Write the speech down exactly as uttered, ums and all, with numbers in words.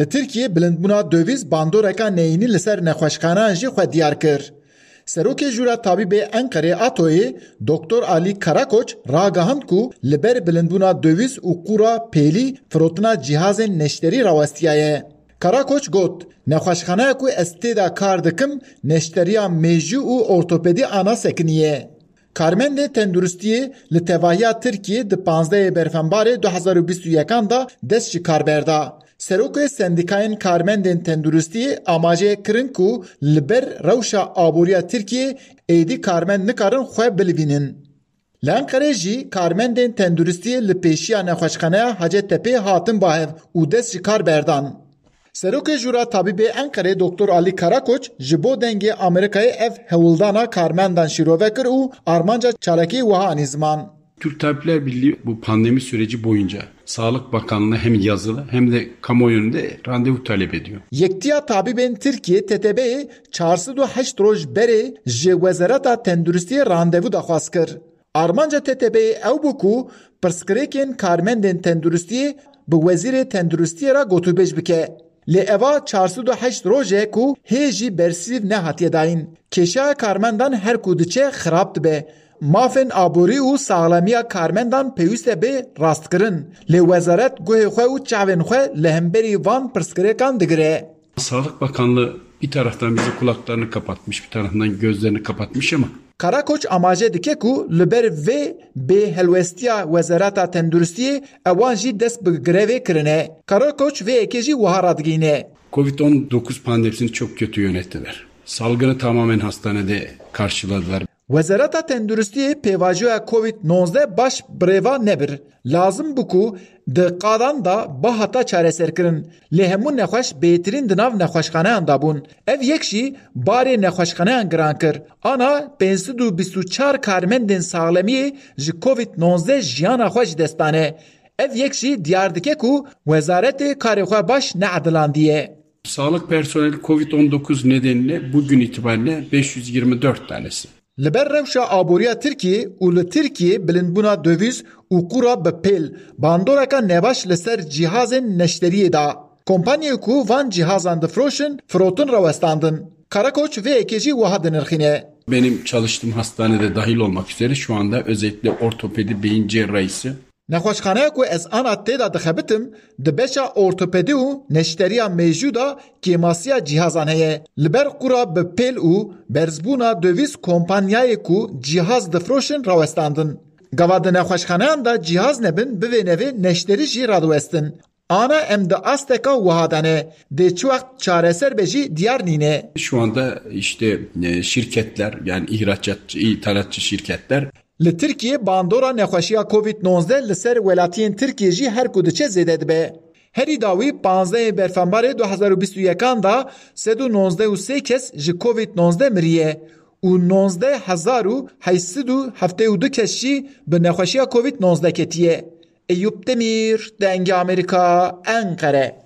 Li Tirkiyê bilindbûna döviz bandoreka neyînî li ser nexweşxaneyan jî xwe diyar kir. Serokê Jûra Tabîbê Enqerê ATOyê Doktor Alî Karakoç ragihand ku li ber bilindbûna döviz û qûra pêlî firotina cîhazên neşterî rawestiyaye. Karakoç got, nexweşxaneya ku ez tê de kar dikim neşteriya mêjû û ortopedî ana sekiniye. Karmendên tenduristiyê li tevahiya Tirkiyê di panzdehê Berfembarê du hezar û bîst û yekan de dest ji kar berda. Serokê Sendîkayên Karmendên Tenduristiyê amaje kirin ku li ber rewşa aboriya Tirkiyê êdî karmend nikarin xwe bilivînin. Li Enqerê jî karmendên tenduristiyê li pêşiya nexweşxaneya Hacettepe'yê hatin bahev û dest ji kar berdan. Serokê Jûra Tabîbê Enqerê Doktor Alî Karakoç ji bo Dengê Amerîkayê ev hewldana karmendan şîrove kir û armanca çalakiyê wiha anî ziman. Türk Tabipler Birliği bu pandemi süreci boyunca Sağlık Bakanlığı'na hem yazılı hem de kamuoyunda randevu talep ediyor. Yektiya Tabîbên Tirkiyê T T B'yê çar sed û heşt roj berê ji Wezareta Tenduristiyê randevu daxwaz kir. Armanca T T B'yê ew bû ku pirsgirêkên karmendên tenduristiyê bi Wezîrê Tenduristiyê re gotûbêj bike. Lê eva çar sed û heşt roj e ku hê jî bersîv nehatiye dayîn. Kêşeya karmendan her ku diçe xirab dibe. Mafên aborî û saxlemiya karmendan pêwîst e bê rastkirin. Lê wezaret guhê xwe û çavên xwe li hemberî van pirsgirêkan digire. Sağlık Bakanlığı bir taraftan bize kulaklarını kapatmış, bir taraftan gözlerini kapatmış ama Karakoç amaje dike ku li ber vê bêhelwestiya Wezareta Tenduristiyê ewan jî dest bi grevê kirine. Karakoç vê yekê jî wiha radigihîne. Covid on dokuz pandemisini çok kötü yönettiler. Salgını tamamen hastanede karşıladılar. Wezareta Tenduristiyê pêvajoya Covid nonzdeh baş bi rê ve nebir. Lazim bû ku di qadan de bihata çareserkirin. Lê hemû nexweş bêtirîn di nav nexweşxaneyan de bûn. Ev yek jî barê nexweşxaneyan giran kir. Ana pênc sed û bîst û çar karmendên saxlemiyê ji Covid nonzdeh jiyana xwe ji dest dane. Ev yek jî diyar dike ku wezaretê karê xwe baş needilandiye. Sağlık personeli Covid on dokuz nedeniyle bugün itibariyle beş yüz yirmi dört tanesi. Li ber rewşa aboriya Tirkiyê û li Tirkiyê bilindbûna döviz û qûra bi pêl bandoreka nebaş li ser cîhazên neşteriyê da. Kompaniyê ku van cîhazan difroşin, firotin rawestandin. Karakoç vê yekê jî wiha dinirxîne. Benim çalıştığım hastanede dahil olmak üzere şu anda özellikle ortopedi beyin cerrahisi. Nexweşxaneya ku ez ana tê de dixebitim, di beşa ortopedî û neşteriya mêjû de kêmasiya cîhazan heye. Li ber qûra bi pêl û berzbûna döviz kompanyayê ku cîhaz difroşin rawestandin. Gava di nexweşxaneyan de cîhaz nebin, bivê nevê neşterî jî radiwestin. Ana em di asteka wiha de ne. Dê çi wext çareser be jî diyar nîne. Şu anda işte e, şirketler, yani ihracatçı, ithalatçı şirketler Li Tirkiyê bandora nexweşiya Covid nonzdeh li ser welatiyên Tirkiyê jî her ku diçe zêde dibe. Herî dawî panzdehê Berfembarê du hezar û bîst û yekan de sed û nonzdeh û sê kes ji Covid nonzdeh miriye û nonzdeh hezar û heyt sed û heftê û du kes jî bi nexweşiya Covid nonzdeh ketiye. Eyûp Demîr, Dengê Amerîka, Enqere.